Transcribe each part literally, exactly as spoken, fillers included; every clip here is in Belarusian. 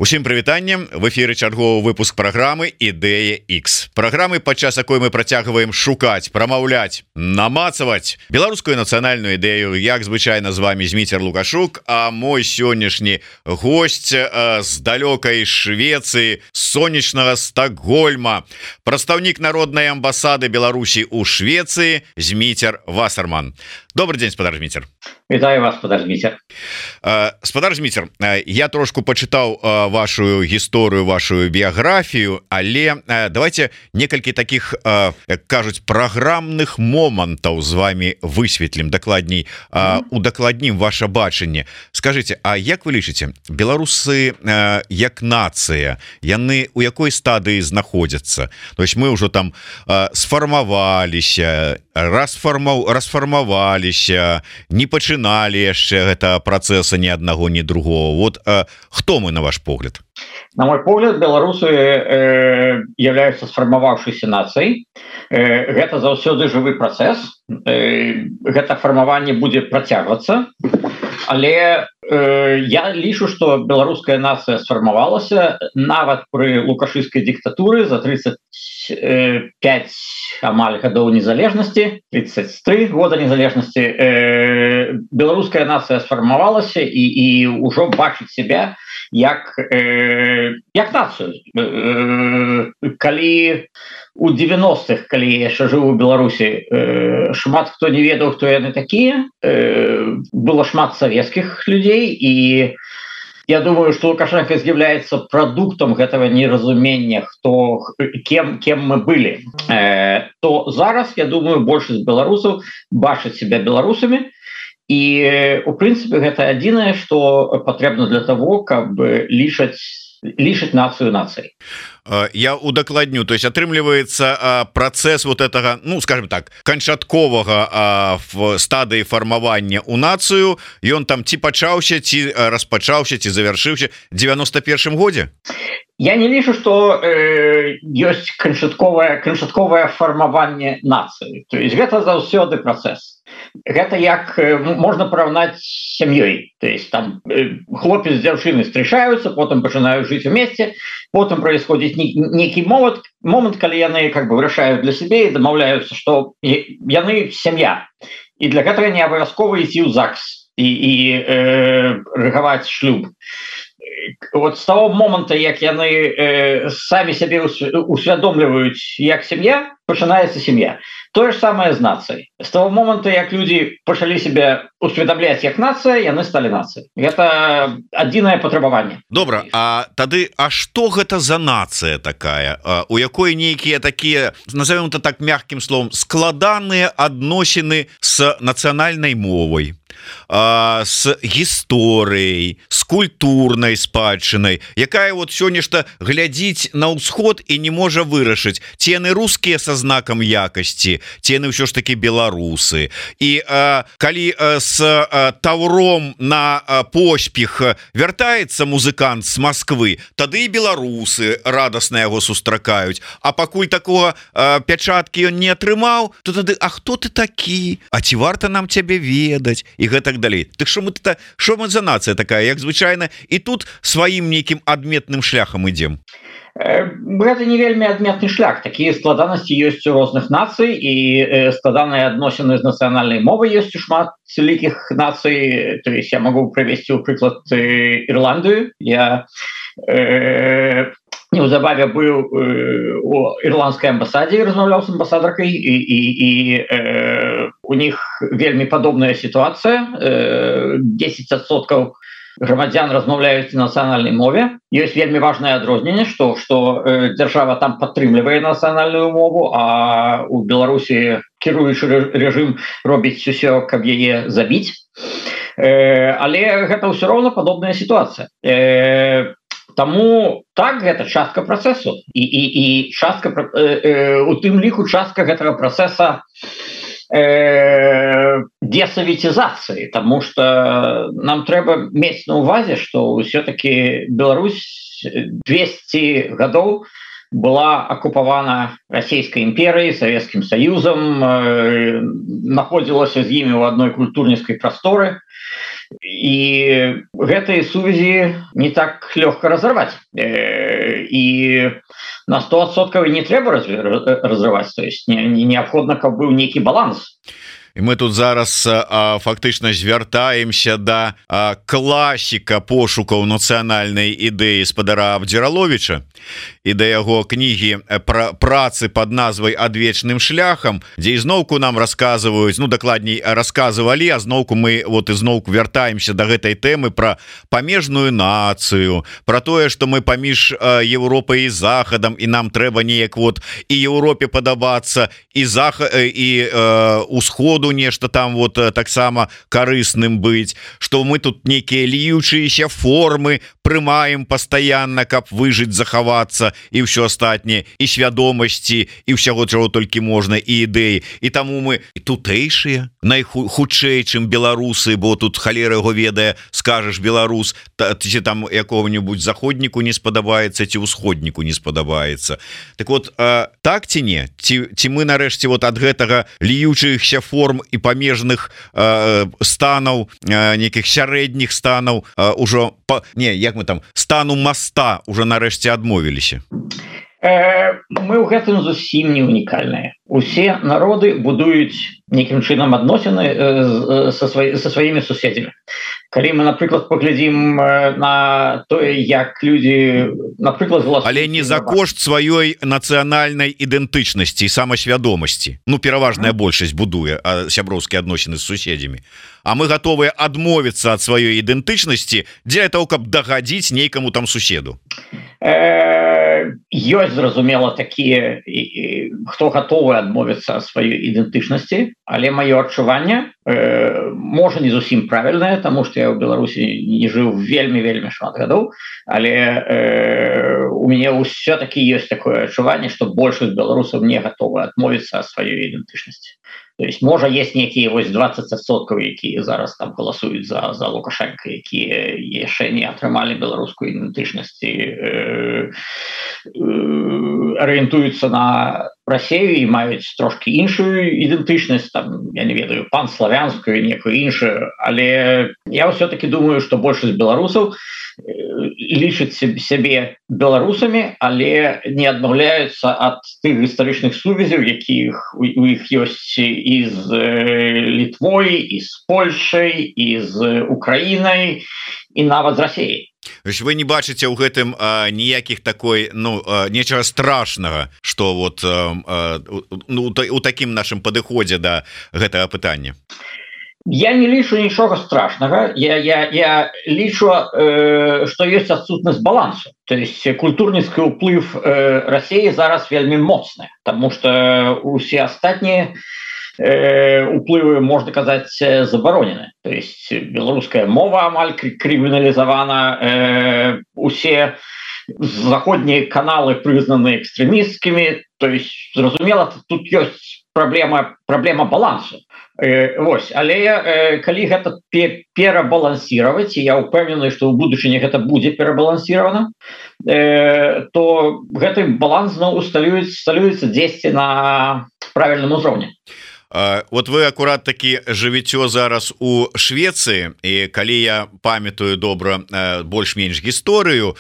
Усім прывітаннем, в эфіры чарговы выпуск праграмы Ідэя X. Праграмы, падчас якой мы працягваем шукаць, прамаўляць, намацаваць беларускую нацыянальную ідэю. Як звычайна з вами Зміцер Лукашук, а мой сённяшні госць э, з далёкай Швецыі, сонечнага Стокгольма, прадстаўнік народнай амбасады Беларусі ў Швецыі Зміцер Вассерман. Добрый день, спадар Зміцер. Вітаю вас, спадар Зміцер. э, Спадар Зміцер, э, я трошку почитаў э, вашу гісторыю, вашу біяграфію, але э, давайте некалькі таких, э, як кажуць, праграмных момантаў з вами высветлім дакладней, э, удакладнім ваше бачанне. Скажите, а як вы лічыце, беларусы э, як нацыя, яны у якой стадыі знаходзяцца? То есть мы ўжо там э, сфармаваліся, расфармаў расфармаваліся, не пачыналі яшчэ гэта працэса ні аднаго, ні другого. Вот э, хто мы, на ваш погляд? На мой погляд, беларусы э, являются сфармаваўшейся нацыяй. Э, гэта заўсёды жывы працэс. Э, гэта фармаванне будзе працягвацца. Але э, я лічу, што беларуская нацыя сфармавалася нават пры лукашысцкай дыктатуры за тридцать пять амаль гадоў незалежнасці, тридцать три года незалежнасці. Э, беларуская нацыя сфармавалася і, і ўжо бачыць себя як, э, як нацыю. Э, калі у девяностых, калі я яшчэ жыў у Беларусі, э, шмат хто не ведаў, хто яны такія, э, было шмат савецкіх людзей, і я думаю, что Лукашенко является продуктом этого неразумения, кто, кем, кем мы были. Э, то зараз, я думаю, большасць беларусаў бачаць себя беларусамі. И, в принципе, это адзінае, что патрэбна для того, каб лічаць лічыць нацыю нацыяй. Я удакладню, то есть атрымліваецца працэс вот этого, ну скажем так, канчатковага в стадыі фармавання у нацыю, ён там ці пачаўся, ці распачаўся, ці завяршыўся девяносто первым годзе? Я не лічу, што э, ёсць канчатковае канчатковае фармаванне нацыі. То есть гэта заўсёды працэс. Гэта як э, можна параўнаць з сям'ёй. То есть там э, хлопец з дзяўчынай встречаются, потом пачынаюць жыць вместе, потом происходит некий момент, момент, калі яны как бы вырашаюць для сябе і дамаўляюцца, што яны сям'я. І для гэтага не абавязкова ісці ў ЗАГС і, і э, рыгаваць шлюб. Вот с того момента, як яны э, самі сябе усвядомліваюць як сям'я, пачынаецца сям'я. То же самое з нацыяй. С того момента, як люди пачалі себя усведомлять як нацыя, яны сталі нацыяй. Это адзінае патрабаванне. Добра, а тады, а што гэта за нацыя такая, у якой нейкія такія, назовем это так мягким словом, складаныя адносіны с нацыянальнай мовай, с гісторыяй, с культурнай спадчынай, якая вот сёння-шта глядзіць на ўсход і не можа вырашыць, ці яны рускія са знакам якасці, ці яны ўсё ж такі беларусы. І а, калі а, с а, таўром на а, поспех вяртаецца музыкант з Москвы, тады і беларусы радасна яго сустракаюць. А пакуль такого а, пячаткі ён не атрымаў, то тады, а хто ты такі? А ці варта нам цябе ведаць? І гэтак далей. Так што мы, што мы за нацыя такая, як звычайна, і тут сваім нейкім адметным шляхам ідзем? Гэта не вельмі адметны шлях. Такія складанасці ёсць у розных нацый, і складаныя адносіны з нацыянальнай мовай ёсць у шмат вялікіх нацый. То есть я могу прывесці ў прыклад Ірландыю. Я э, неўзабаве быў э, у ірландскай амбасадзе, размаўляў з амбасадаркай, і, і, і э, у них вельмі падобная сітуацыя. Э, десять адсоткаў грамадзян размаўляюць на нацыянальнай мове. Ёсць вельмі важнае адрозненне, што, што э, дзяржава там падтрымлівае нацыянальную мову, а у Беларусі кіруючы рэжым робіць усё, каб яе забіць. Э, але гэта ўсё роўна падобная сітуацыя. Э, Таму так, гэта частка працэсу. І, і, і частка, э, э, у тым ліку частка гэтага працэса э, десоветизации, потому что нам трэба мець на увазе, что все-таки Беларусь двести гадоў была оккупавана Российской империей, Советским Союзом, э, находилась з імі ў адной культурніцкай прасторы, і гэтыя сувязі не так лёгка разорваць, э, і на сто адсоткаў не трэба разрываць, то есть не, не неабходна, каб быў нейкі баланс. І мы тут зараз а, фактычна звяртаемся да а, класіка пошукаў нацыянальнай ідэі спадара Абдзіраловіча і да яго кнігі пра працы под назвай адвечным шляхам, дзе ізноўку нам расказваюць, ну дакладней расказвалі, а зноўку мы вот ізноўку вяртаемся да гэтай тэмы пра памежную нацыю, пра тое, што мы паміж Еўропай і захадам, і нам трэба неяк вот і Еўропе падабацца, і захад і э, усходу нешта там вот таксама карысным быць, што мы тут нейкія льючыеся формы прымаем пастаянна, каб выжыць, захавацца і ўсё астатняе, і свядомасці, і ўсяго чаго толькі можна, і ідэі. І таму мы і тутэйшыя найхутчэй, чым беларусы, бо тут халера яго ведае, скажаш беларус, ці там якого-нибудь заходніку не спадабаецца, ці ўсходніку не спадабаецца. Так вот, так ці не? Ці, ці мы нарэшце вот ад гэтага льючыхся форм і памежных э, станаў, э, нейкіх сярэдніх станаў э, ужо па, не, як мы там стану моста уже нарэшце адмовіліся. Э, мы ў гэтым зусім не унікальныя. Усе народы будуюць нейкім чынам адносіны э, са, свай, са сваімі суседзямі. Калі мы, напрыклад, паглядзім на тое, як людзі, напрыклад, галасуюць, але не за кошт сваёй нацыянальнай ідэнтычнасці і самасвядомасці. Ну, пераважная mm. большасць будуе сяброўскія адносіны з суседзямі. А мы гатовыя адмовіцца ад сваёй ідэнтычнасці дзеля того, каб дагадзіць нейкаму там суседу. Э, ёсць, зразумела, такія, хто гатовы адмовіцца ад сваёй ідэнтычнасці, але маё адчуванне э, можа не зусім правільнае, таму што я ў Беларусі не жыў вельмі-вельмі шмат гадоў, але э, у мяне ўсё-такі ёсць такое адчуванне, што большасць беларусаў не гатовы адмовіцца ад сваёй ідэнтычнасці. То есть можа есть некія вось двадцать адсоткаў, якія зараз там галасуюць за, за Лукашенко, якія яшчэ не атрымалі беларускую ідэнтычнасць, э, э, арыентуюцца на Расею і маюць трошки іншую ідэнтычнасць, там, я не ведаю, панславянскую, некую іншую, але я ўсё-таки думаю, што большасць беларусаў лічаць сябе беларусамі, але не адмаўляюцца ад тых гістарычных сувязяў, якіх у іх ёсць і з Літвой, і з Польшай, і з Украінай, і нават з Расеяй. Вы не бачыце ў гэтым а, ніякіх такой, ну, а, нечага страшнага, што вот а, а, ну, у такім нашым падыходзе да гэтага пытання? Я не лічу нічога страшнага. Я, я, я лічу, э, што ёсць адсутнасць балансу. То есть культурніцкі ўплыв э, Расіі зараз вельмі моцны, таму што усе астатнія э, уплывы, можна казаць, забаронены. То есть беларуская мова амаль крыміналізавана, э, усе заходнія каналы прызнаны экстрэмісцкімі. То есть, зразумела, тут ёсць праблема, праблема балансу. Э, вось, але э, калі гэта перабалансіраваць, і я ўпэўнены, што ў будучыні гэта будзе перабалансіравана, э, то гэты баланс зноў усталюецца дзесьці на правільным узроўні. Вот вы акурат таки жывіцё зараз у Швецыі, і калі я памятаю добра больш-менш гісторыю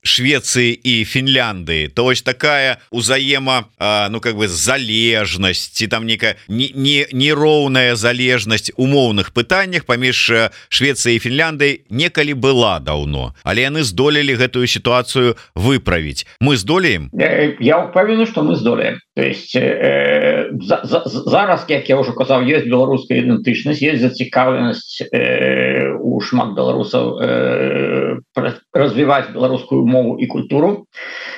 Швецыі і Фінляндыі, то вось такая узаема, ну как бы залежнасць, ці там некая нероўная залежнасць умоўных пытаннях паміж Швецыяй і Фінляндыяй некалі была даўно, але яны здолелі гэтую сітуацыю выправіць. Мы здолеем? Я ўпэўнены, што мы здолеем. То есть э, за, за, зараз, як я ўжо казаў, ёсць беларуская ідэнтычнасць, ёсць зацікаўленасць э, у шмат беларусаў э, развіваць беларускую мову і культуру.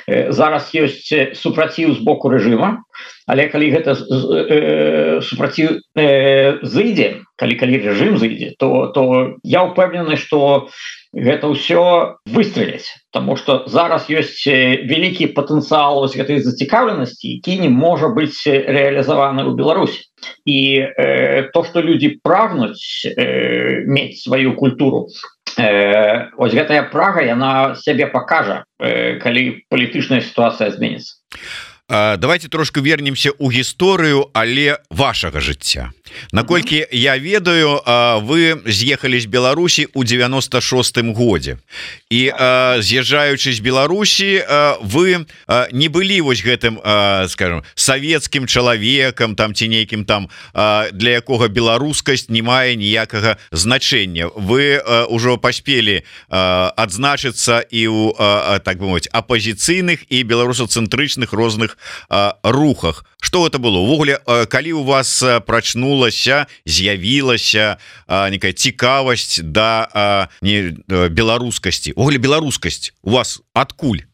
Э, зараз ёсць супраціў з боку рэжыма, але калі гэта э, супраціў э, зыдзе, калі калі рэжым зыдзе, то, то я ўпэўнены, што гэта ўсё выстрэліць, таму што зараз ёсць вялікі патэнцыял гэтай зацікаўленасці, які не можа быць рэалізаваны ў Беларусі. І э, то, што людзі прагнуць э, мець сваю культуру, э, ось гэтая Прага яна сябе покажа, э, калі палітычная сітуацыя зменіцца. Давайте трошку вернемся у гісторыю, але вашага жыцця. Наколькі я ведаю, вы з'ехалі з Беларусі ў девяносто шостым годзе і з'язджаючы з Беларусі, вы не былі вось гэтым, скажем, савецкім чалавекам там ці нейкім там, для якога беларускасць не мае ніякага значэння. Вы ўжо паспелі адзначыцца і ў, так бы мовіць, апазіцыйных і беларусацэнтрычных розных рухах. Что это было увогуле, калі у вас прачнулася, з'явілася некая цікавасць да не беларускасці, увогуле беларускасць у вас адкуль?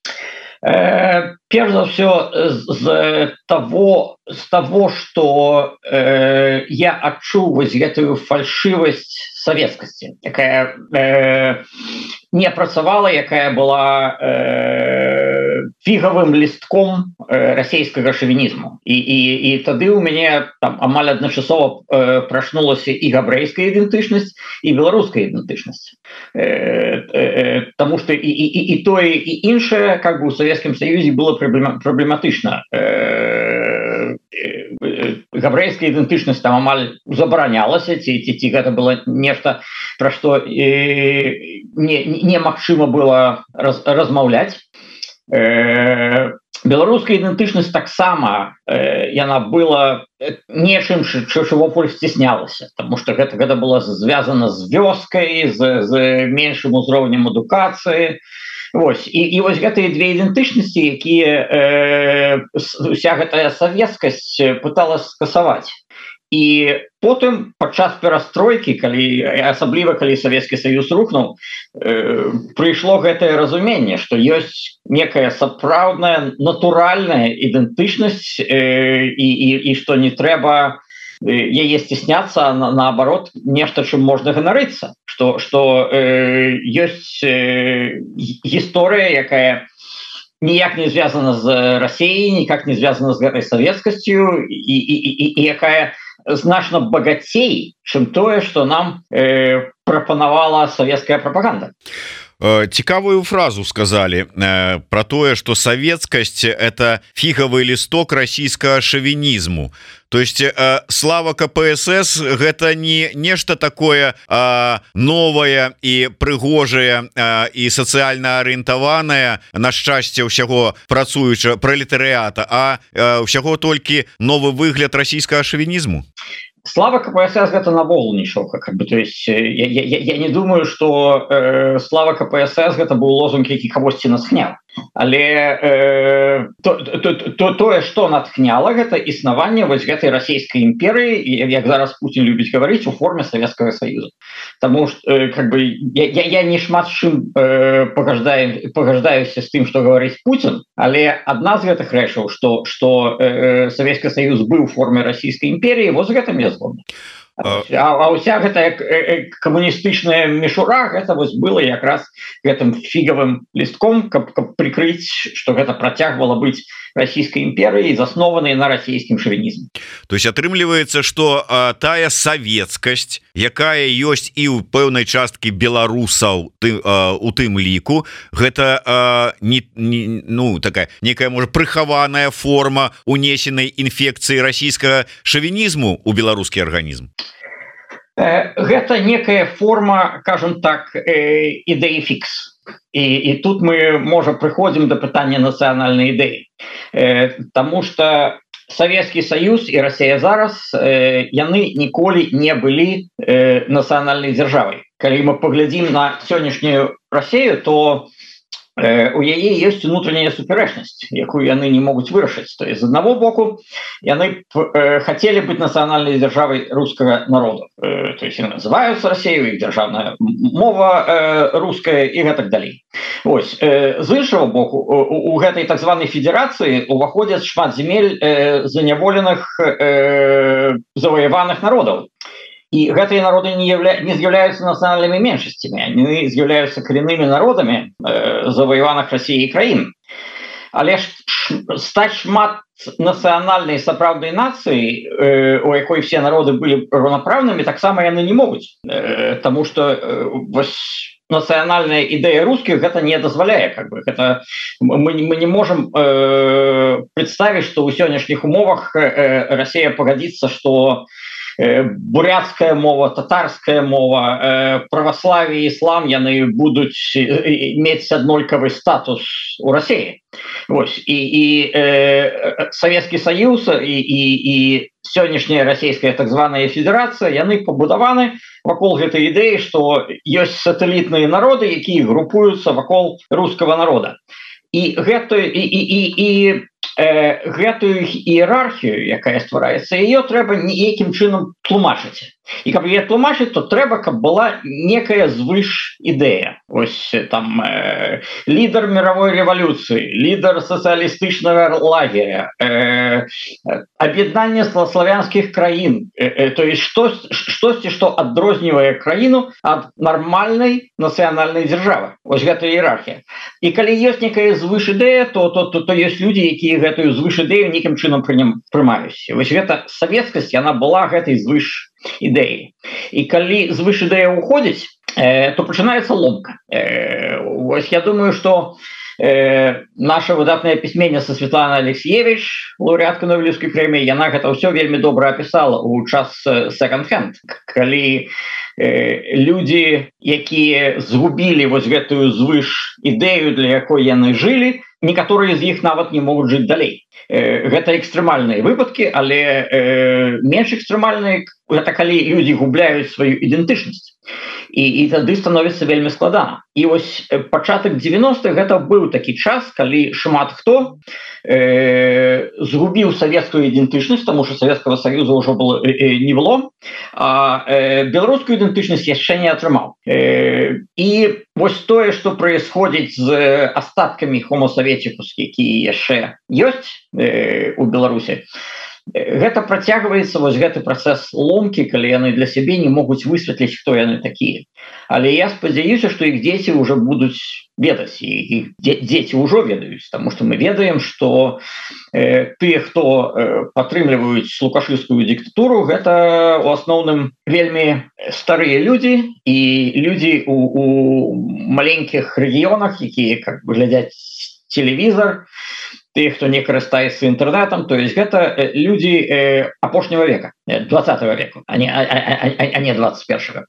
Э, Перш за все з того, з того, что э, я адчуў вось гэтую фальшивасць савецкасці, якая э, не працавала, якая была э, фігавым лістком э, расійскага шавінізму. І, і, і тады у мяне там амаль адначасова э, прачнулася і габрэйская ідэнтычнасць, і беларуская ідэнтычнасць. Э, э, Таму што і, і, і тое, і іншае, как бы у Савецкім Саюзе было праблематычна. Э, габрэйская ідэнтычнасць там амаль забаранялася, ці, ці, ці гэта было нешта, пра што э, не, немагчыма было раз, размаўляць. Э, беларуская ідэнтычнасць таксама э, яна была нечым, чаго поле сціснялася, тому што гэта, гэта было звязана з вёскай, з, з меншым узроўнем адукацыі. Вось, і, і вось гэтыя две ідэнтычнасці, якія э, уся гэтая савецкасць пыталась скасаваць. І потым падчас перастройкі, калі асабліва калі Савецкі Саюз рухнуў, э, прыйшло гэтае разуменне, што ёсць некая сапраўдная натуральная ідэнтычнасць, э, і, і, і што не трэба яе сцісняцца, на, наоборот, нешта, чым можна ганарыцца, што, што э, ёсць э, гісторыя, якая ніяк не звязана з Расіяй, ніяк не звязана з гэтай савецкасцю, і, і, і, і якая значна багацей, чым тое, што нам э, прапанавала савецкая прапаганда. Цікавую фразу сказали э, про тое, что савецкасць — это фігавы лісток расійскага шавінізму. То есть э, слава ка пэ эс эс гэта не нешта такое э, новае і прыгожае э, і сацыяльна арыентаванае, на шчасце ўсяго працуючага пралетарыята, а э, ўсяго толькі новы выгляд расійскага шавінізму. Слава ка пэ эс эс гэта навогул нічога, как бы, то есть я, я, я не думаю, что э, слава ка пэ эс эс гэта быў лозунг, які кагосьці натхняў, але э, то, то, то, тое, што натхняла, гэта існаванне вось гэтай расійскай імперыі, як зараз Путін любіць гаварыць, у форме Савецкага Саюза. Таму што э, как бы я, я, я не шмат чым э, пагаждаю, пагаждаюся з тым, што гаварыць Путін, але адна з гэтых рэчаў, што, што э, Савецкі Саюз быў у форме расійскай імперіі, вось гэта мне згодна. А, а уся гэтая камуністычная мішура, гэта вось было якраз гэтым фігавым лістком, каб, каб прикрыць, што гэта працягвала быць расійскай імперыяй, заснованай на расійскім шавінізме. То есть атрымліваецца, што а, тая савецкасць, якая ёсць і ў пэўнай часткі беларусаў ты, а, у тым ліку, гэта а, не, не, ну, такая некая, можа, прыхаваная форма унесенай інфекцыі расійскага шавінізму ў беларускі арганізм. Гэта некая форма, кажем так, ідэі фікс. І, і тут мы, можа, прыходзім да пытання нацыянальнай ідэі. Таму што Савецкі Саюз і Расія зараз, яны ніколі не былі нацыянальнай дзяржавай. Калі мы паглядзім на сённяшнюю Расію, то у яе ёсць унутраняя супярэчнасць, якую яны не могуць вырашыць. То есть, з аднаго боку, яны э, хацелі быць нацыянальнай дзяржавай рускага народу. Э, то есть, яны называюцца Расіяй, іх дзяржаўная мова э, руская і гэтак далей. Ось, э, з іншага боку, у, у гэтай так званай федэрацыі уваходзяць шмат земель э, заняволеных э, заваяваных народаў. І гэтыя народы не, явля... не з'яўляюцца нацыянальнымі меншасцямі, они з'яўляюцца кореннымі народамі э, заваяваных Расіяй краін. Але ж стаць шмат нацыянальнай сапраўднай нацыі, э, у якой все народы былі раўнапраўнымі, таксама яны не могуць, э, таму што э, вось нацыянальная ідэя русскіх гэта не дазваляе, как бы это мы, мы не можем э, представить, что у сённяшніх умовах э, Россия погодится, что бурятская мова, татарская мова, э, православие, ислам, яны будуць иметь аднолькавый статус у России. Вось. И, и э, Советский Союз и, и, и сённяшняя российская так званая федерация, яны побудованы вокруг этой идеи, что есть сателлитные народы, якія группуются вокруг русского народа. И, гэта, и, и, и, и э, гэтую іерархію, якая ствараецца, ее трэба неякім чынам тлумачыць. І каб яе тлумачыць, то трэба, каб была некая звыш ідэя. Ось там э, лідар мировой революции, лідар сацыялістычнага лагеря, э, аб'яднанне славянскіх краін, э, э, то есть штосьці, што адрознівае краіну ад нармальнай нацыянальнай дзяржавы. Ось гэта іерархія. І калі ёсць некая звыш ідэя, то, то, то, то ёсць людзі, якія гэтую звыш ідэю нейкім чынам прымаюць. Вось гэта савецкасць, яна была гэтай звыш ідэі. І калі звыш ідэя уходзіць, э, то пачынаецца ломка. Э, вось я думаю, што э, наша выдатная пісьменніца Светлана Алексеевич, лаўрэатка Нобелеўскай прэміі, яна гэта ўсё вельмі добра апісала ў час секонд-хенд, калі э, людзі, якія згубілі вось гэтую звыш ідэю, для якой яны жылі, некаторыя з іх нават не могуць жыць далей. Э, гэта экстрэмальныя выпадкі, але э, менш экстрэмальныя гэта калі людзі губляюць сваю ідэнтычнасць. І, і тады становіцца вельмі складана. І вось пачатак дзевяностых гэта быў такі час, калі шмат хто э, згубіў савецкую ідэнтычнасць, таму што Савецкага Саюза ўжо было, э, не было, а э, беларускую ідэнтычнасць яшчэ не атрымаў. Э, і вось тое, што праисходзіць з астаткамі Homo Советicus, якія яшчэ ёсць э, у Беларусі, гэта працягваецца вось гэты працэс ломкі, калі яны для сябе не могуць высветліць, хто яны такія. Але я спадзяюся, што іх дзеці ўжо будуць ведаць, і іх дзеці ўжо ведаюць, таму што мы ведаем, што э, тыя, хто э, падтрымліваюць лукашыўскую дыктатуру, гэта у асноўным вельмі старыя людзі і людзі у, у маленькіх рэгіёнах, якія как бы глядзяць телевізор, тых, хто не карыстаецца інтэрнетам, то есть гэта людзі э, апошняга века, двадцатого века, а не, а, а, а не двадцать первого.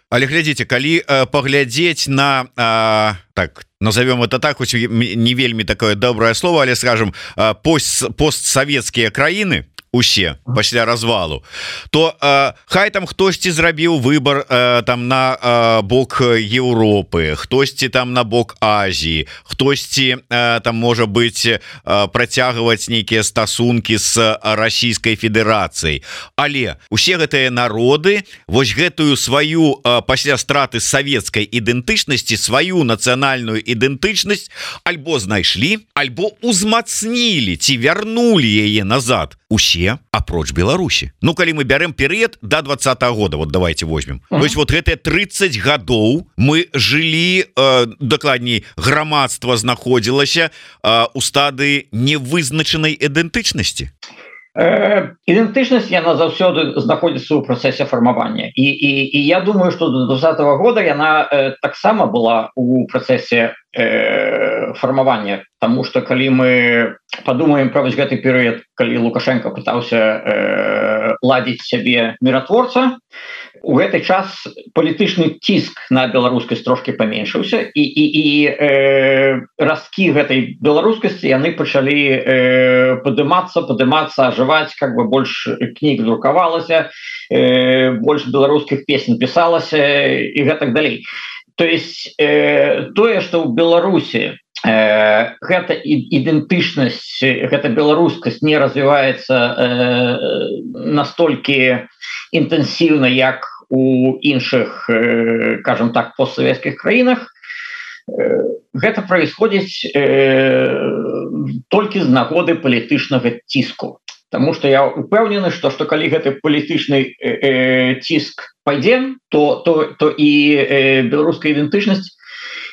Але глядзіце, калі э, паглядзець на э, так назовем это так, хоць не вельмі такое добрае слово, але скажем э, пост, постсавецкія краіны усе пасля развалу, то э, хай там хтосьці зрабіў выбор э, там на э, бок Еўропы, хтосьці там на бок Азіі, хтосьці э, там можа быць э, працягваць нейкія стасункі з Расійскай Федэрацыяй, але усе гэтыя народы вось гэтую сваю э, пасля страты савецкай ідэнтычнасці, сваю нацыянальную ідэнтычнасць альбо знайшлі, альбо узмацнілі ці вярнулі яе назад. Усе апроч Беларусі. Ну калі мы бярем перыяд до двадцатого года, вот давайте возьмем. Mm-hmm. То есть вот гэтыя тридцать гадоў мы жылі, э, дакладней, грамадства знаходзілася э, у стадыі невызначанай ідэнтычнасці. Э, ідэнтычнасць яна заўсёды знаходзіцца ў працэсе фармавання. І, і, і я думаю, што до двадцатого года яна э, таксама была у працэсе э, фармавання, таму што калі мы подумаем про вось гэты перыяд, калі Лукашенко пытаўся э, ладзіць сябе міратворца, у гэты час палітычны ціск на беларускасць трошки паменшыўся, і, і, і э, разкі гэтай беларускасці яны пачалі э, падымацца, падымацца, ажываць, как бы больш кніг друкавалася, э, больш беларускіх песень пісалася і гэтак далей. То есть э, тое, што ў Беларусі Э, гэта ідэнтычнасць, гэта беларускасць не развіваецца э, настолькі інтэнсіўна, як у іншых, э, кажам так, постсавецкіх краінах. Э, гэта праисходзіць э, толькі з нагоды палітычнага ціску. Таму што я упэўнены, што што калі гэты палітычны э, ціск пайдзе, то, то, то і э, беларуская ідэнтычнасць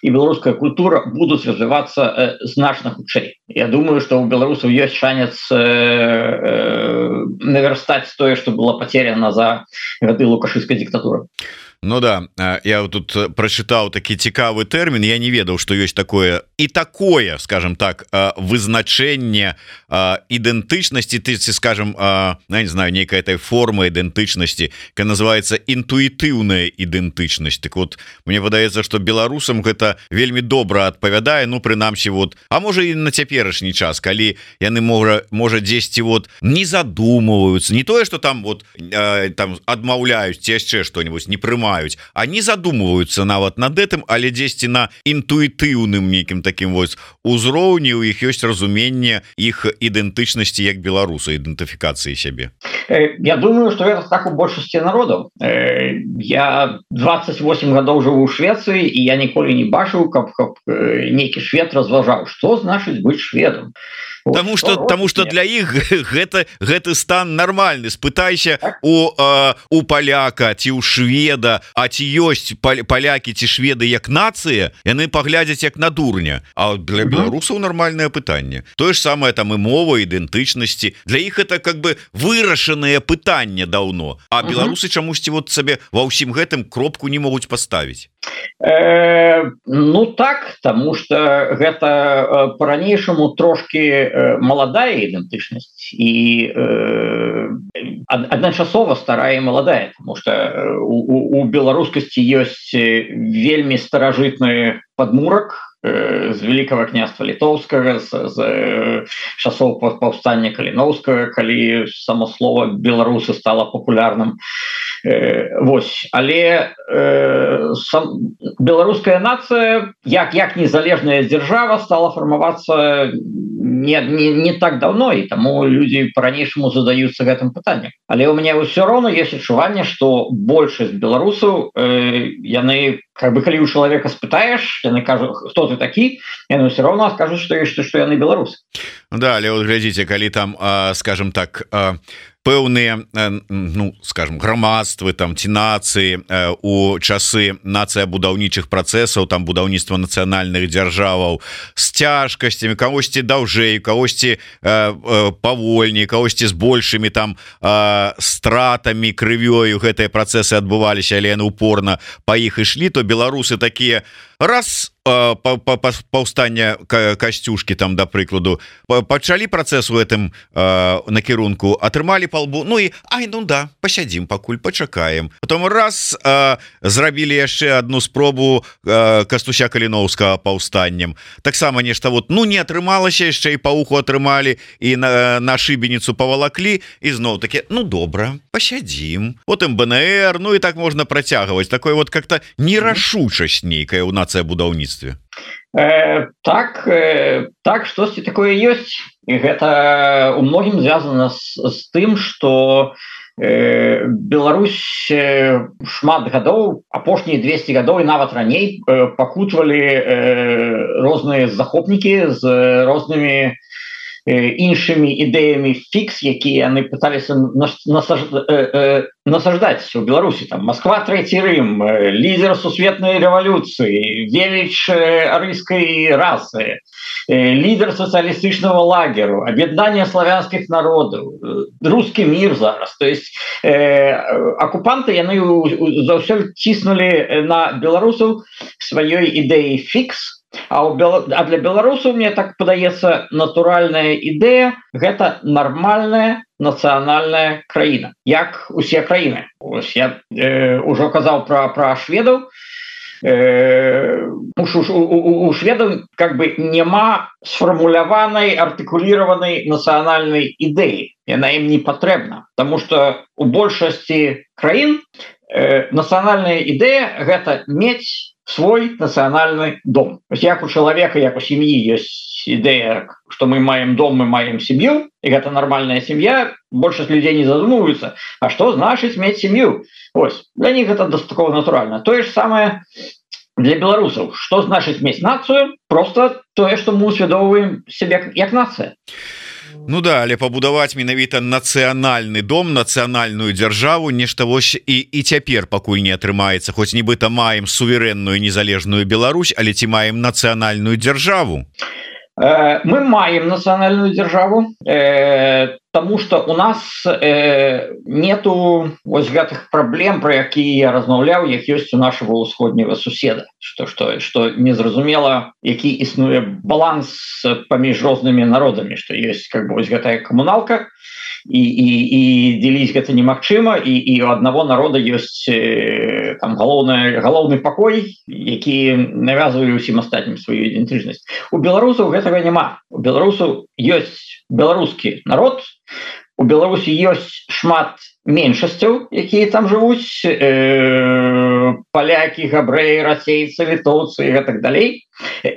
і беларуская культура будуць развівацца э, значна хутчэй. Я думаю, што у беларусаў ёсць шанец э, э, наверстаць тое, што было потеряно за гады лукашыўскай дыктатуры. Ну да, я тут прачытаў такі цікавы тэрмін, я не ведаў, што ёсць такое і такое, скажем так, вызначэнне ідэнтычнасці, ты скажем, не знаю, нейкая этой форма ідэнтычнасці, якая называется інтуітыўная ідэнтычнасць. Так вот, мне падаецца, што беларусам гэта вельмі добра адпавядае, ну прынамсі вот, а можа і на цяперашні час, калі яны можа можа дзесьці вот не задумываюцца, не тое, што там вот там адмаўляюць ці яшчэ што-нибудь, не прымаюць, они задумываются нават над этим, але дзесьці на інтуітыўным нейкім таким вось узроўні у іх ёсць разуменне іх ідэнтычнасці як беларуса, ідэнтыфікацыі сябе. Я думаю, что это так у большасці народаў. Я двадцать восемь гадоў жыву ў Швецыі, і я ніколі не бачыў, каб, каб нейкі швед разважаў, што значыць быць шведам. Потому что потому что для іх гэта гэты стан нормальны. Спытайся у э, у паляка ці у шведа, а ці ёсць палякі ці шведы як нацыя, яны паглядзяць як на дурня. А для беларусаў нармальнае пытанне. Тое ж самае там і мова, ідэнтычнасці. Для іх это как бы вырашанае пытанне даўно. А беларусы чамусьці вот сабе ва ўсім гэтым кропку не могуць паставіць. Э, ну так, тому что гэта по-ранейшаму трошки маладая ідэнтычнасць і э, адначасова старая і маладая, потому что у, у беларускасці ёсць вельмі старажытны падмурак з Великого княства Літоўскага, з, з часоў паўстання Каліноўскага, калі само слово беларусы стало популярным. Э, вось, але э, сам, беларуская нацыя, як, як незалежная дзяржава, стала фармавацца не, не, не так давно, і таму людзі по-ранейшаму задаюцца гэтым пытаннем. Але у меня ўсё роўна ёсць адчуванне, што большасць беларусаў, э, яны, как бы, калі у чалавека спытаеш, яны кажуць, хто ты такі, яны ўсё роўна скажуць, што, што, што яны беларусы. Да, але вот глядзіце, калі там, скажем так, пэўныя, ну скажем, грамадствы там ці нацыі у часы нацыя-будаўнічых працэсаў, там будаўніцтва нацыянальных дзяржаваў з цяжкасцямі, кагосьці даўжэй, кагосьці павольней, кагосьці з большымі там стратамі, крывёю гэтыя працэсы адбываліся, але яны упорна па іх ішлі, то беларусы такія раз паўстання Касцюшкі там, да прыкладу, пачалі працэс у гэтым накірунку, атрымалі па лбу, ну і ай, ну да, пасядзім пакуль, пачакаем. Потом раз зрабілі яшчэ одну спробу Кастуся Каліноўскага паўстаннем, таксама нешта вот, ну не атрымалася, яшчэ і пауху атрымалі, і на, на шыбеніцу павалаклі, і зноў такі, ну добра, пасядзім. Потым бэ эн эр, ну і так можна працягваць, такое вот как-то нерашучасць нейкая ў нацыя-будаўніцтве. Э, так, э, так, штосьці такое ёсць, і гэта у многім звязана з, з тым, што э, Беларусь э, шмат гадоў, апошнія двесце гадоў і нават раней э, пакутвалі э, розныя захопнікі з рознымі іншымі ідэямі фікс, якія яны пыталіся насаждаць у Беларусі. Там Москва, Трэці Рым, лідер сусветнай рэвалюцыі, веліч арыйскай расы, лідер сацыялістычнага лагеру, аб'яднанне славянскіх народаў, рускі мір зараз. То есть э, акупанты яны заўсёды ціснулі на беларусаў сваёй ідэі фікс. А, Бел... а для беларусаў, мне так падаецца, натуральная ідэя – гэта нармальная нацыянальная краіна, як усе краіны. Ось я э, ўжо казаў пра, пра шведаў. Э, у, у, у шведаў как бы няма сфармуляванай, артыкуліраванай нацыянальнай ідэі. Яна ім не патрэбна, таму што у большасці краін э, нацыянальная ідэя – гэта мець свой нацыянальны дом. Як у чалавека, як у сям'і ёсць ідэя, што мы маем дом, мы маем сям'ю, і гэта нармальная сям'я, большасць людзей не задумваюцца, а што значыць мець сям'ю? Ось, для них гэта дастаткова натуральна. Тое ж самае для беларусаў. Што значыць мець нацыю? Просто тое, што мы усвядомваем сябе як нацыя. Ну да, але пабудаваць менавіта нацыянальны дом, нацыянальную дзяржаву, нешта вось і, і цяпер пакуль не атрымаецца, хоць нібыта маем суверэнную незалежную Беларусь, але ці маем нацыянальную дзяржаву? Э, мы маем нацыянальную дзяржаву. Э, потому что у нас э, нету вось гэтых праблем, про якія я размаўляў, як ёсць у нашего усходняга суседа, что что что незразумела, які існуе баланс паміж рознымі народамі, что есть как бы вось гэтая камуналка, і і і дзеліць гэта немагчыма, і і у аднаго народа ёсць э, там галоўная галоўны пакой, які навязвае ўсім астатнім сваю ідэнтычнасць. У беларусаў гэтага няма. У беларусаў ёсць беларускі народ, у Беларусі ёсць шмат меншасцяў, якія там жывуць, э, палякі, габрэі, расейцы, літоўцы і так далей.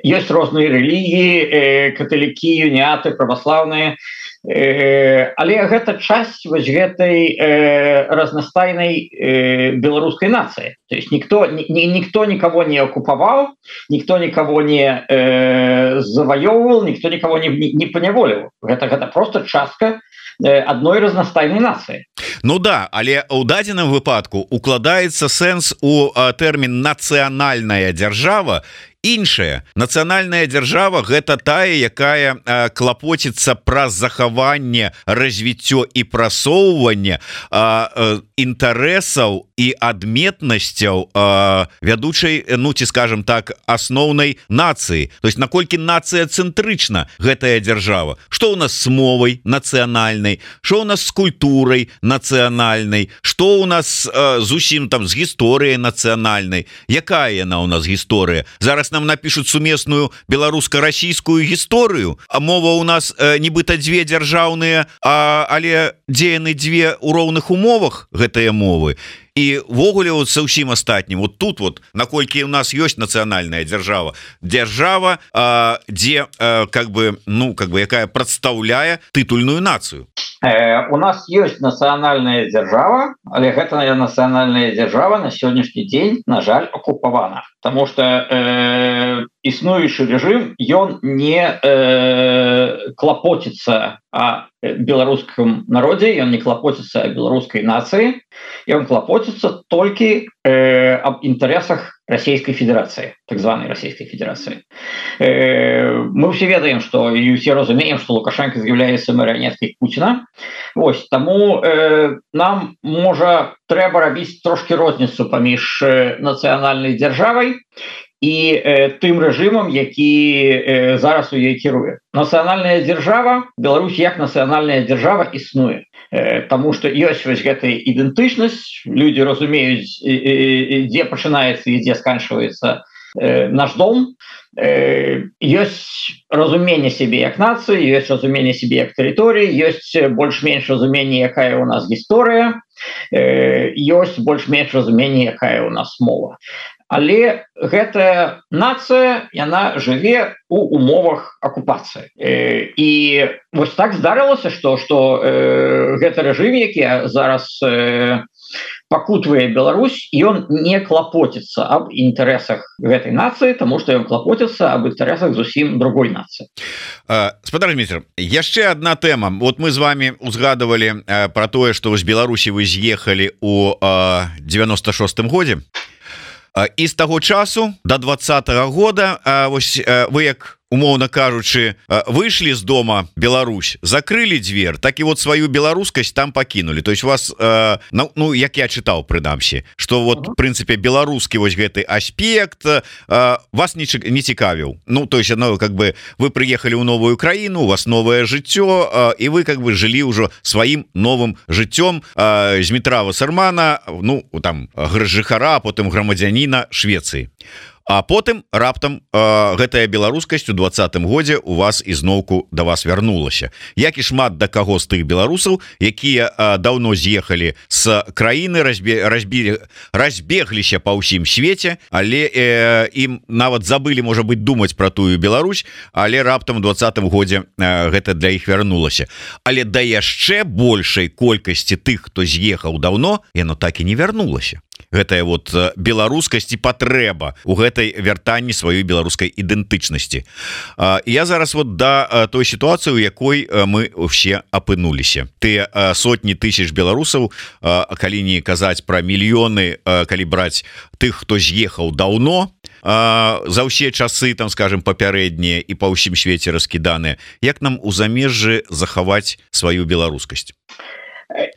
Ёсць розныя рэлігіі, э, каталікі, уніяты, праваслаўныя. Э, але гэта часть вось гэтай э, разнастайнай э, беларускай нацыі. То есть никто, ни, никто никого не оккуповал, никто никого не э, завоевывал, никто никого не, не, не поневолил. Это, это просто частка адной разнастайнай нацыі. Ну да, але ў дадзеным выпадку укладаецца сэнс у тэрмін нацыянальная дзяржава. Іншая нацыянальная дзяржава гэта тая, якая э, клапоціцца праз захаванне, развіццё і прасоўванне э, э, інтарэсаў і адметнасцяў э, вядучай, ну ці скажем так, асноўнай нацыі. То есть наколькі нацыя цэнтрычна гэтая дзяржава, што ў нас з мовай нацыянальнай, што ў нас з культурай нацыянальнай, што ў нас э, зусім там з гісторыяй нацыянальнай, якая яна ў нас гісторыя. Зараз нам напишут сумесную беларуска-расійскую гісторыю, а мова у нас э, нібыта дзве дзяржаўныя, а, але дзе яны дзве ў роўных умовах гэтыя мовы. І ввогуле вот са ўсім астатнім вот тут вот наколькі у нас ёсць нацыянальная дзяржава дзяржава а, дзе а, как бы ну как бы якая прадстаўляе тытульную нацыю. Э, у нас ёсць нацыянальная дзяржава, але гэтая нацыянальная дзяржава на сённяшні дзень, на жаль, акупавана, потому что э, існуючы рэжым ён не э, клапоціцца о беларускам народзе, ён не клапоціцца о беларускай нацыі, ён клапоціцца толькі э, об інтарэсах Российской Федерации, так званой Российской Федерации. Э, мы все ведаем, что и все разумеем, что Лукашенко з'яўляецца марыянеткай Путина. Ось, таму э, нам можа трэба рабіць трошки розніцу паміж э, нацыянальнай дзяржавай і э, тым рэжымам, які э, зараз у ёй кіруе. Нацыянальная дзяржава, Беларусь як нацыянальная дзяржава існуе. Э, таму што ёсць вось гэтая ідэнтычнасць, людзі разумеюць, э, э, дзе пачынаецца і дзе сканчваецца э, наш дом. Э, ёсць разуменне сябе як нацыі, ёсць разуменне сябе як тэрыторыі, ёсць больш-менш разуменне, якая у нас гісторыя, э, ёсць больш-менш разуменне, якая у нас мова. Але гэтая нацыя, яна жыве у умовах акупацыі. Э, і вось так здарылася, што, што э, гэты рэжым, які зараз э, пакутвае Беларусь, ён не клапоціцца аб інтарэсах гэтай нацыі, таму што ён клапоціцца аб інтарэсах зусім другой нацыі. Спадар Дмітрый, яшчэ одна тэма. Вот мы з вами узгадывалі про тое, што з Беларусі вы з'ехалі у девяносто шостым годзе. І з таго часу до двадцатого года вось вы, як умоўна кажучы, выйшлі з дома Беларусь, закрылі дзвер, так і вот сваю беларускасць там пакінулі. То есть вас ну, ну як я чытаў прынамсі, что вот в прынцыпе беларускі вось гэты аспект вас не, не цікавіў. Ну то есть ну, как бы вы прыехалі ў новую краіну, у вас новае жыццё, і вы как бы жылі ўжо сваім новым жыццём з метра Вассермана, ну там жыхара, потым грамадзяніна Швецыі. А потым раптам э, гэтая беларускасць у двадцатым годзе у вас ізноўку да вас вярнулася. Як і шмат да каго з тых беларусаў, якія э, даўно з'ехалі з краіны, разбе, разбілі, разбегліся па ўсім свеце, але э, ім нават забылі, можа быць, думаць пра тую Беларусь, але раптам у двадцатым годзе э, гэта для іх вярнулася. Але да яшчэ большай колькасці тых, хто з'ехаў даўно, яно так і не вярнулася. Гэтая вот беларускасць і патрэба у гэтай вяртанні сваёй беларускай ідэнтычнасці. Я зараз вот да той сітуацыі, у якой мы ўсе апынуліся. Тыя сотні тысяч беларусаў, калі не казаць пра мільёны, калі браць тых, хто з'ехаў даўно, за ўсе часы там скажем папярэднія і па ўсім свеце раскіданыя, як нам у замежжы захаваць сваю беларускасць?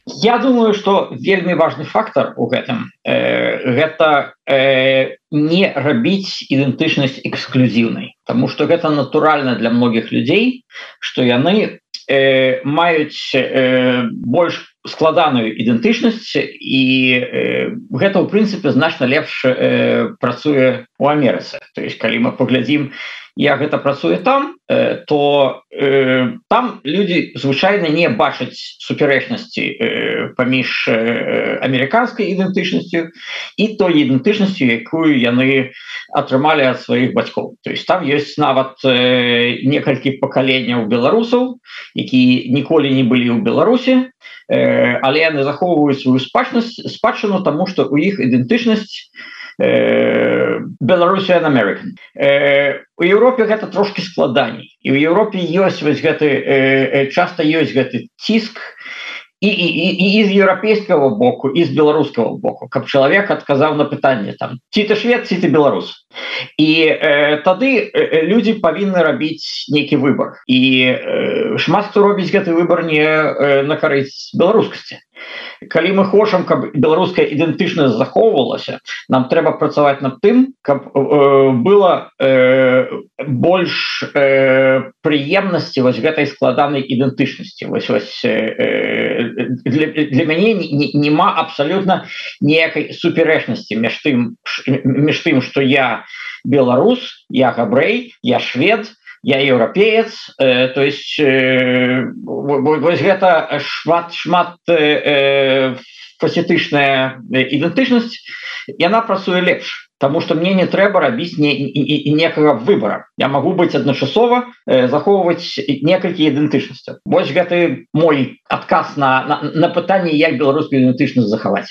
Я думаю, что вельмі важный фактор у гэтым э, гэта э, не рабіць ідэнтычнасць эксклюзіўнай, потому что гэта натуральна для многіх людзей, что яны э, маюць э, больш складаную ідэнтычнасць і э, гэта ў прынцыпе значна лепш э, працуе у Амерыцы. То есть калі мы паглядзім, як гэта працуе там, э, то э, там людзі звычайна не бачаць супярэчнасці э, паміж э, амерыканскай ідэнтычнасцю і той ідэнтычнасцю, якую яны атрымалі ад сваіх бацькоў. То есть там ёсць нават э, некалькі пакаленняў беларусаў, якія ніколі не былі ў Беларусі, э, але яны захоўваюць сваю спадчыннасць спадчыну, таму што у іх ідэнтычнасць Belarusian American. У Еўропе гэта трошки складаней. І ў Еўропе ёсць вось гэты, часта ёсць гэты ціск і, і, і, і з еўрапейскага боку, і з беларускага боку, каб чалавек адказаў на пытанне там, ці ты швед, ці ты беларус. І э, тады э, людзі павінны рабіць нейкі выбар. І э, шмат хто робіць гэты выбар не э, на карысць беларускасці. Калі мы хочам, каб беларуская ідэнтычнасць захоўвалася, нам трэба працаваць над тым, каб э, было э, больш э, прыемнасці вось гэтай складанай ідэнтычнасці. Вось, вось, э, для, для мяне няма абсалютна ніякай суперечнасці між тым, між тым, што я беларус, я габрэй, я швед, я еўрапеец, э, то есть э, вось гэта шмат шмат э, фасетычная ідэнтычнасць, яна працуе лепш, потому что мне не трэба рабіць не, не, некага выбора. Я могу быць адначасова э, захоўваць некалькі ідэнтычнасцяў. Вось гэты мой адказ на, на, на пытанне, як беларускую ідэнтычнасць захаваць.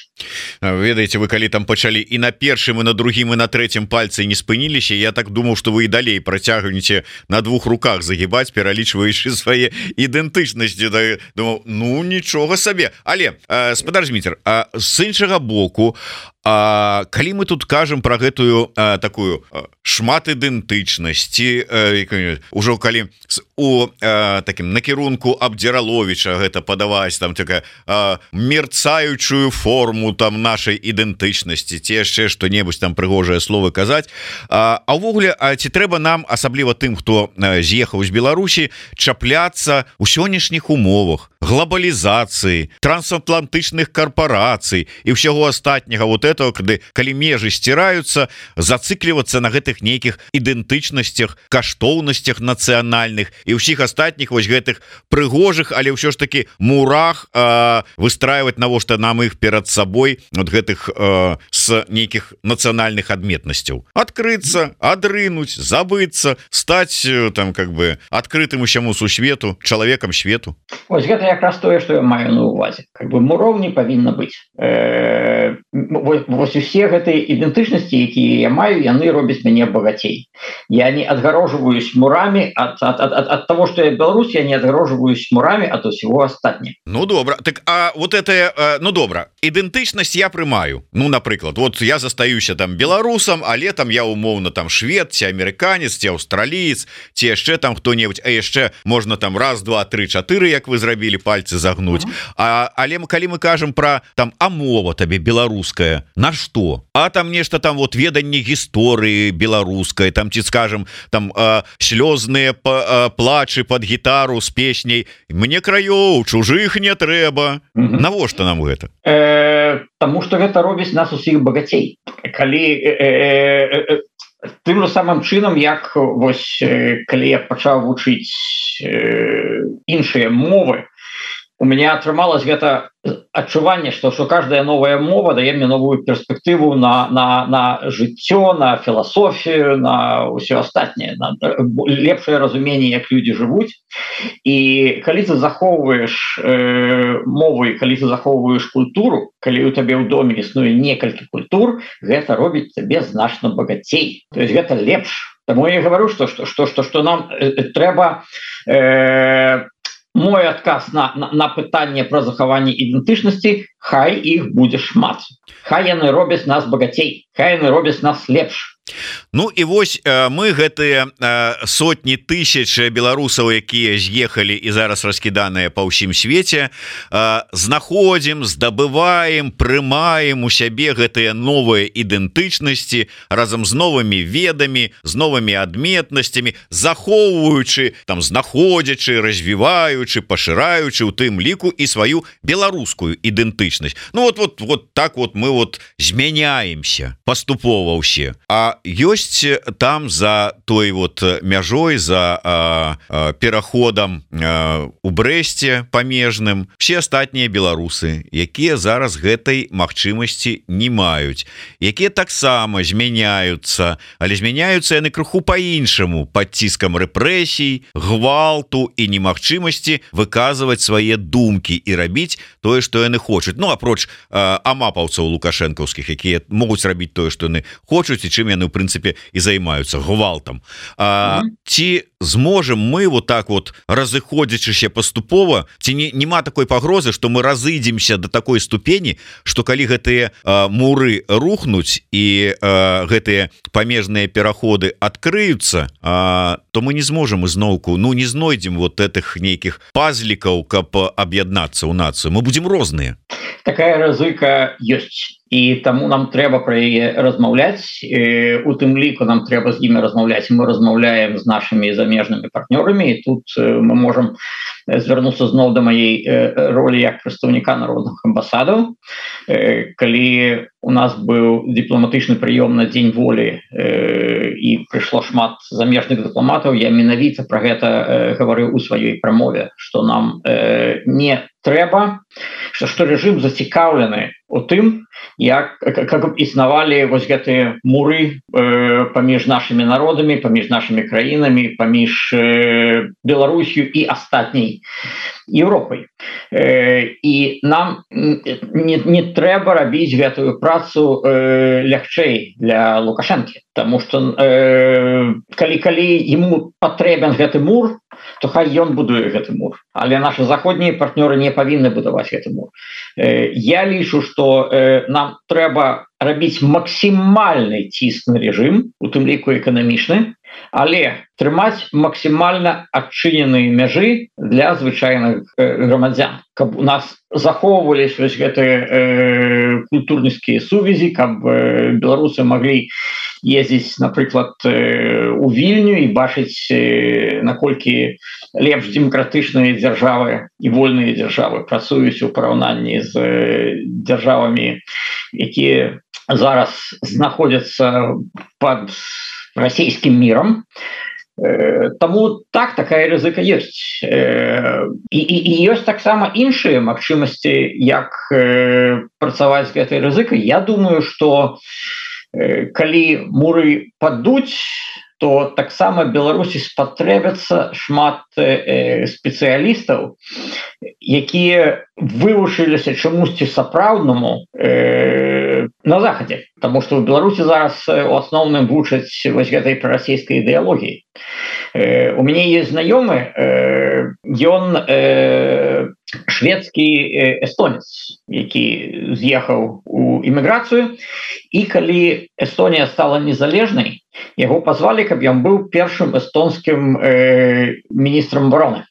Ведаеце, вы калі там пачалі і на першым, і на другім, і на трэцім пальцы не спыніліся, я так думаў, што вы і далей працягнеце на двух руках загибаць, пералічваючы свае ідэнтычнасці. Думаў, ну нічога сабе. Але э, спадар Зміцер, а з іншага боку, А калі мы тут кажам про гэтую а, такую а, шмат ідэнтычнасці, ўжо калі у а, таким накірунку Абдзіраловіча гэта падаваць там такая а, мерцаючую форму там нашай ідэнтычнасці, ці яшчэ што-небудзь там прыгожае словы казаць, а, а ўвогуле, а ці трэба нам, асабліва тым, хто з'ехаў з Беларусі, чапляцца ў сённяшніх умовах глобалізацыі, трансатлантычных карпорацый і ўсяго астатняга вот этого, калі, калі межы сціраюцца, зацыклівацца на гэтых нейкіх ідэнтычнасцях, каштоўнасцях нацыянальных і ўсіх астатніх вось гэтых прыгожых, але ўсё ж таки мурах э, выстраивать навошта нам іх перад сабой вот гэтых э, с нейкіх нацыянальных адметнасцяў. Адкрыцца, адрынуць, забыцца, стаць там как бы адкрытым усяму сусвету, чалавекам свету. Вось гэта якраз тое, што я маю на увазе. Как бы муроў не павінна быць. Э, вось усе гэтыя ідэнтычнасці, якія я маю, яны робяць мяне багацей. Я не адгарожваюсь мурамі ад, ад, ад, ад того, што я беларус, я не адгарожваюсь мурамі ад усяго астатняга. Ну добра, так а вот это, ну добра, ідэнтычнасць я прымаю. Ну, напрыклад, вот я застаюся там беларусам, але там я умоўна там швед, ці амерыканец, ці аўстраліец, ці яшчэ там хто-небудзь, а яшчэ можна там раз, два, тры, чатыры, як вы зрабілі, пальцы загнуць. А, але калі мы кажам про там, а мова табе беларуская, на што? А там нешта там вот веданне гісторыі беларускай, там ці скажем там э, слёзныя э, плачы под гітару з песняй «Мне краёў, чужых не трэба». Mm-hmm. Навошта нам гэта? Э, таму што гэта робіць нас усіх багацей. Калі э, э, э, тым же самым чынам, як вось э, калі я пачаў вучыць э, іншыя мовы, у меня атрымалось гэта адчуванне, што што каждая новая мова дае мне новую перспектыву на, на, на жыццё, на філасофію, на ўсё астатняе, на лепшае разуменне, як людзі жывуць. І калі ты захоўваеш э, мову, і калі ты захоўваеш культуру, калі у табе ў доме існуе некалькі культур, гэта робіць табе значна багацей. То есть гэта лепш. Таму я говорю, што, што, што, што, што нам э, трэба э, мой адказ на, на, на пытанне пра захаванне ідэнтычнасці, хай іх будзе шмат. Хай яны робяць нас багацей, хай яны робяць нас лепш. Ну і вось мы гэтыя сотні тысяч беларусаў, якія з'ехалі і зараз раскіданыя па ўсім свеце, знаходзім, здабываем, прымаем у сябе гэтыя новыя ідэнтычнасці разам з новымі ведамі, з новымі адметнасцямі, захоўваючы, там знаходзячы, развіваючы, пашыраючы у тым ліку і сваю беларускую ідэнтычнасць. Ну вот вот вот так вот мы вот змяняемся паступова ўсе. А ёсць там за той вот мяжой, за а, а, пераходам а, у Брэсце памежным все астатнія беларусы, якія зараз гэтай магчымасці не маюць, якія таксама змяняюцца, але змяняюцца яны крыху по-іншаму, пад ціскам рэпрэсій, гвалту і немагчымасці выказваць свае думкі і рабіць тое, што яны хочуць. Ну апроч а, амапаўцаў лукашэнкаўскіх, якія могуць рабіць тое, што яны хочуць, і чым яны в прынцыпе і займаюцца гвалтам. А, mm-hmm. Ці зможем мы вот так вот разыходзячыся паступова, ці не, нема такой пагрозы, што мы разыдземся до такой ступені, што калі гэтыя а, муры рухнуць і а, гэтыя памежныя пераходы адкрыюцца, а, то мы не зможем изноўку, ну не знойдзем вот этих нейкіх пазлікаў, каб аб'яднацца ў нацыю. Мы будзем розныя. Такая рызыка ёсць. І таму нам трэба пра яе размаўляць. У тым ліку нам трэба з імі размаўляць. Мы размаўляем з нашымі замежнымі партнёрамі, і тут мы можам звярнуцца зноў да маей ролі як прадстаўніка народных амбасадаў. Калі у нас быў дыпламатычны прыём на дзень волі і прыйшло шмат замежных дыпламатаў, я менавіта пра гэта гаварыў у сваёй прамове, што нам не трэба, што, што рэжым зацікаўлены у тым, як как існавалі вось гэтыя муры э, паміж нашымі народамі, паміж нашымі краінамі, паміж э, Беларусью і астатняй Европай. Э, і нам не, не трэба рабіць гэтую працу э, лягчэй для Лукашэнкі, таму што э, калі калі ему патрэбен гэты мур, то хай ён будуе гэты мур, але наши заходнія партнёры не павінны будаваць гэты мур. Э, я лічу, што э, нам трэба рабіць максімальны ціск на рэжым, у тым ліку эканамічны, але трымаць максімальна адчыненыя мяжы для звычайных э, грамадзян, каб у нас захоўваліся вось гэтыя э, культурніцкія сувязі, каб э, беларусы маглі ездзіць, напрыклад, э, у Вільню і бачыць, э, наколькі лепш дэмакратычныя дзяржавы і вольныя дзяржавы працуюць у параўнанні з э, дзяржавамі, якія зараз знаходзяцца пад расійскім мірам. Таму так, такая рызыка ёсць. І, і, і ёсць таксама іншыя магчымасці, як працаваць з гэтай рызыкай. Я думаю, што калі муры падуць, то таксама Беларусі спатрэбяцца шмат э, спецыялістаў, якія вывучыліся чамусьці сапраўднаму э, на захадзе, таму што ў Беларусі зараз у асноўным вучаць вось гэтай прарасійскай ідэалогіі. Э, у мяне ёсць знаёмы, э, ён э, шведскі эстонец, які з'ехаў у эміграцыю, і калі Эстонія стала незалежнай, яго пазвалі, каб ён быў першым эстонскім э, міністрам абароны.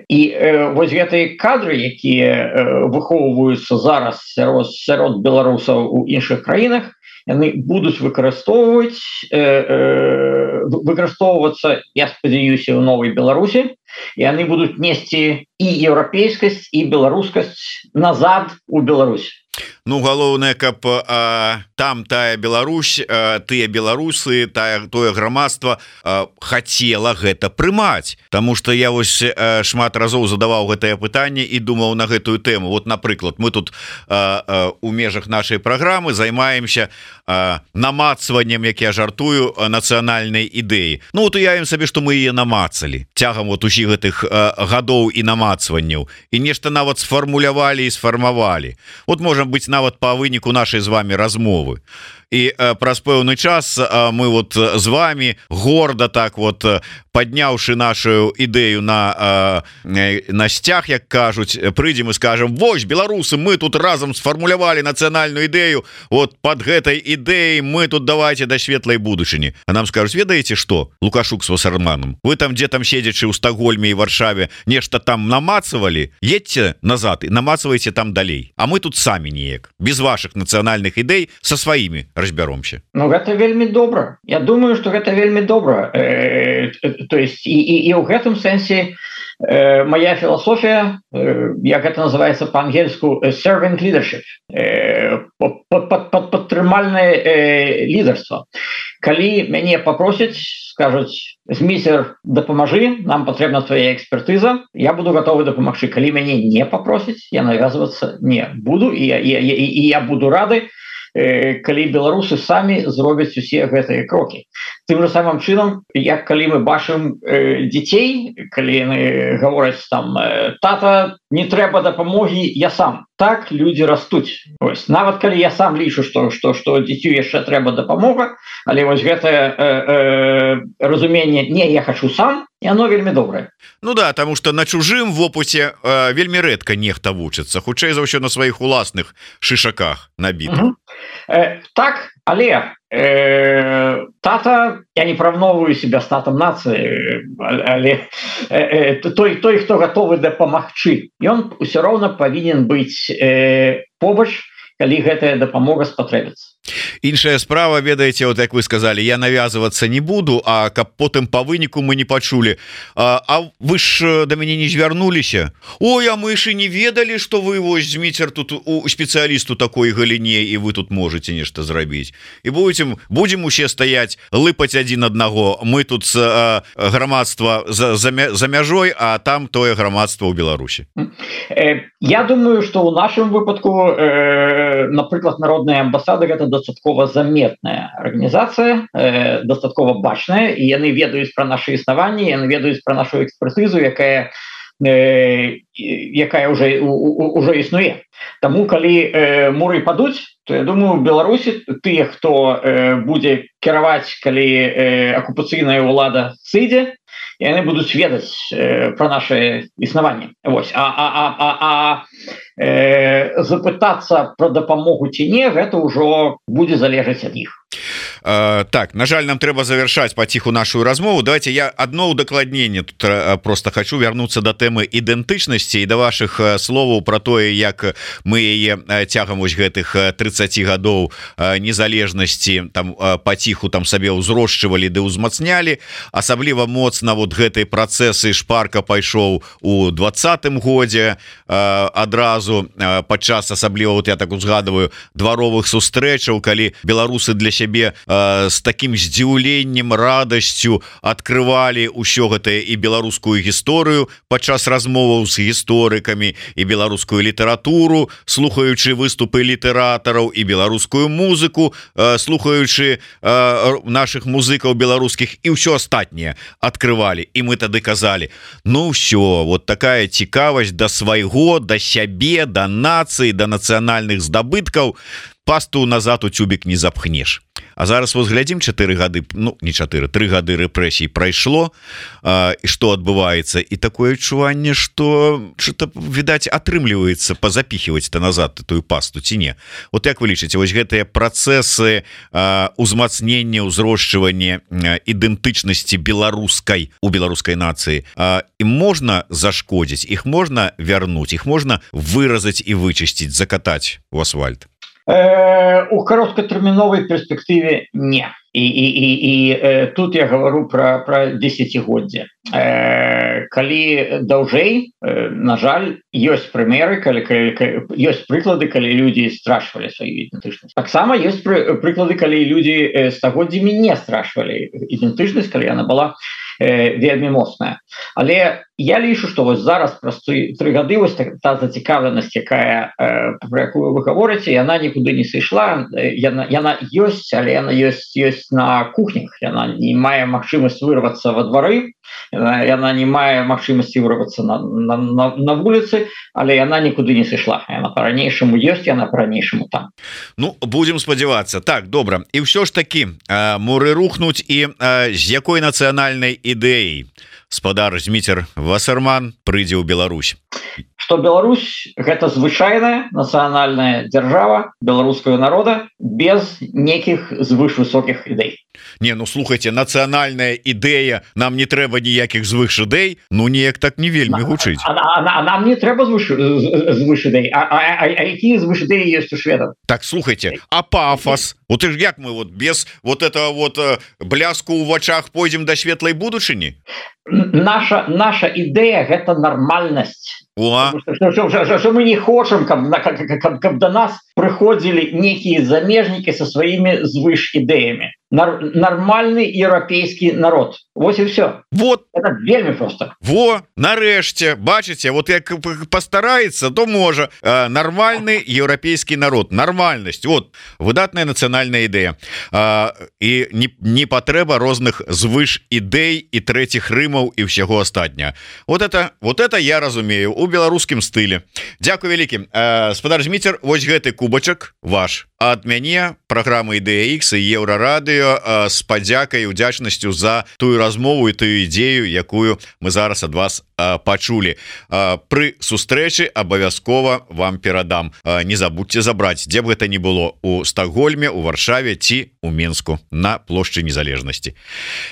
І э, вось гэтыя кадры, якія э, выхоўваюцца зараз сярод, сярод беларусаў у іншых краінах, яны будуць выкарыстоўваць э, э, выкарыстоўвацца, я спадзяюся, у новай Беларусі, і яны будуць несці і еўрапейскасць, і беларускасць назад у Беларусь. Ну, галоўнае, каб а, там тая Беларусь, а, тыя беларусы, тая, тое грамадства а, хацела гэта прымаць. Таму што я вось а, шмат разоў задаваў гэтае пытанне і думаў на гэтую тэму. Вот, напрыклад, мы тут а, а, у межах нашай праграмы займаемся а, намацваннем, як я жартую, нацыянальнай ідэі. Ну, вот уявім сабе, што мы яе намацалі цягам вот усіх гэтых а, гадоў і намацванняў. І нешта нават сфармулявалі і сфармавалі. Вот можа быць нават па выніку нашай з вами размовы. і праз пэўны час мы вот з вами горда так вот подняўшы нашу ідэю на на сцяг, як кажуць, прыйдзем і скажем: вось, беларусы, мы тут разам сфармулявалі нацыянальную ідэю, вот под гэтай ідэяй мы тут давайте да светлай будучыні. А нам скажуць: ведаеце что, Лукашук с Вассерманом, вы там дзе там седзячы ў Стокгольме і Варшаве нешта там намацавалі, едьце назад і намацавайце там далей, а мы тут самі неяк без ваших нацыянальных ідэй со сваімі разбяромся. Ну гэта вельмі добра. Я думаю, что гэта вельмі добра. Э, то есть і, і, і ў гэтым сэнсе э, моя філасофія, э, як гэта называется по-ангельску, servant leadership, э, под, под, под падтрымальнае э, лідарства. Калі мяне попросяць, скажуць: зміцер, дапамажы, нам патрэбна твоя экспертыза, я буду готовы дапамагчы. Калі мяне не попросяць, я навязвацца не буду, і я, я, я, і я буду рады, калі беларусы самі зробяць усе гэтыя крокі. Тым же самым чынам, як калі мы бачым э, дзяцей, калі яны гавораць там: тата, не трэба дапамогі, я сам. Так людзі растуць. Ось, нават калі я сам лічу, што што што дзіцю яшчэ трэба дапамога, але вось гэтае э, э, разуменне «не, я хочу сам», яно вельмі добрае. Ну да, тому что на чужым вопыце э, вельмі рэдка нехта вучыцца, хутчэй за ўсё на сваіх уласных шышаках набітых. Угу. Э, так, але э, тата, я не параўноўваю себя з татам нацыі, але э, э, той, той, хто гатовы дапамагчы, ён усё роўна павінен быць э, побач, калі гэтая дапамога спатрэбіцца. Іншая справа, ведаеце, вот як вы сказали, я навязываться не буду, а каб потым по выніку мы не пачулі: а, а вы ж до мяне не звярнуліся, ой, а мы ж і не ведалі, что вы вось Зміцер тут у спецыялісту такой галіне, і вы тут можете нешта зрабіць, і будем будем усе стаять лыпаць адзін аднаго, мы тут а, грамадства за, за, за мяжой, а там тое грамадства ў Беларусі. Я думаю, что у нашым выпадку, э, напрыклад, народная амбасада гэта дастаткова заметная арганізацыя, э, дастаткова бачная, і яны ведаюць пра нашы існаванні, яны ведаюць пра нашу экспертызу, якая э, якая уже уже існуе. Таму калі э, муры падуць, то я думаю, в Беларусі тыя, хто э, будзе кіраваць, калі э, акупацыйная ўлада сыдзе, яны будуць ведаць э, пра наше існаванне. Вось. А, а, а, а, а э, запытацца пра дапамогу ці не, гэта ўжо будзе залежаць ад іх. Uh, так, на жаль, нам трэба завершаць паціху нашу размову. Давайте я одно удакладненне тут uh, просто хочу вернуться до тэмы ідэнтычнасці і да ваших uh, словаў про тое, як мы яе uh, цягам вось гэтых uh, тридцати гадоў uh, незалежнасці там uh, паціху там сабе ўзрошчвалі ды ўзмацнялі. Асабліва моцна вот гэтай працэсы шпарка пайшоў у двадцатым годзе uh, адразу uh, падчас асабліва, вот я так узгадываю, дваровых сустрэчаў, калі беларусы для сябе с таким здзіўленнем, радасцю открывалі ўсё гэтае і беларускую гісторыю падчас размоваў з гісторыкамі, і беларускую літаратуру, слухаючы выступы літаратараў, і беларускую музыку, слухаючы наших музыкаў беларускіх, і ўсё астатняе открывалі. І мы тады казалі: ну ўсё, вот такая цікавасць да свайго, да сябе, да нацыі, да нацыянальных здабыткаў, пасту назад у тюбік не запхнеш. А зараз вот глядзім, чатыры гады, ну не чатыры, тры гады рэпрэсій прайшло, а, і што адбываецца, і такое адчуванне, што что-то, відаць, атрымліваецца пазапіхіваць-то назад тую пасту ці не. Вот як вы лічыце, вось гэтыя працэсы а, узмацнення, узрошчвання ідэнтычнасці беларускай у беларускай нацыі, а, ім можна зашкодзіць, іх можна вярнуць, іх можна выразаць і вычысціць, закатаць у асфальт? Э, у кароткатэрміновай перспектыве не. І, і, і, і э, тут я говорю про, про десятигоддзе. Э, калі даўжэй, э, на жаль, ёсць прымеры, калі, калі, калі, ёсць прыклады, калі людзі страшвалі сваю ідэнтычнасць. Таксама ёсць пры, прыклады, калі людзі э, стагоддзямі не страшвалі ідэнтычнасць, калі яна была вельмі моцная. Але я лічу, што вось зараз праз тры гады вось та зацікаўленасць, якая про якую вы гаворыце, яна нікуды не сышла, яна, яна ёсць, але яна ёсць ёсць на кухнях, яна не мае магчымасць вырвацца во двары, яна, яна не мае магчымасці вырвацца на, на, на, на вуліцы, але яна нікуды не сышла, яна по-ранейшаму ёсць, яна по-ранейшаму там. Ну, будем спадзявацца. Так, добра. І ўсё ж таки муры рухнуць, і з якой нацыянальнай ідэяй спадар Зміцер Вассерман прыйдзе ў Беларусь? Што Беларусь гэта звычайная нацыянальная дзяржава беларускага народа без некіх звышвысокіх ідэй. Не, ну слухайте, нацыянальная ідэя, нам не трэба ніякіх звыш ідэй, ну неяк так не вельмі гучыць. А, а, а, а нам не трэба звыш, звыш ідэй. А, а, а, а якія звыш ідэі ёсць у шведаў? Так, слухайте, а пафос? Вот и як мы вот без вот этого вот э, бляску ў вачах пойдзем до светлай будучыні? Наша, наша ідэя гэта нармальнасць. Что мы не хочам, каб, каб, каб, каб до нас прыходзілі некія замежнікі со сваімі звыш ідэямі. Нар, нормальный еўрапейскі народ. Вот и все. Вот. Это вельмі просто. Во, нарэшце, бачыце, вот як постарается, то можа. Э, нормальный еўрапейскі народ. Нормальнасць. Вот, выдатная нацыянальная ідэя. Э, і не, не патрэба розных звыш ідэй і трэціх рымаў і ўсяго астатняга. Вот это, вот это я разумею у беларускім стылі. Дзякуй вялікі. Э, спадар Зміцер, вось гэты кубачак ваш. Ад мяне праграмы Ідэя Ікс і Еўрарадыё з падзякай і удзячнасцю за тую размову і тую ідзею, якую мы зараз ад вас а, пачулі. А, пры сустрэчы абавязкова вам перадам. А, не забудьте забраць, дзе б гэта не было, у Стокгольме, у Варшаве ці у Мінску на плошчы Незалежнасці.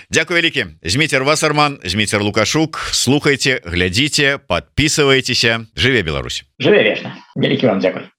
Дзякуй вялікі. Зміцер Вассерман, Зміцер Лукашук. Слухайте, глядзіце, подписывайтеся. Жыве Беларусь. Жыве вечна. Вялікі вам дзякуй.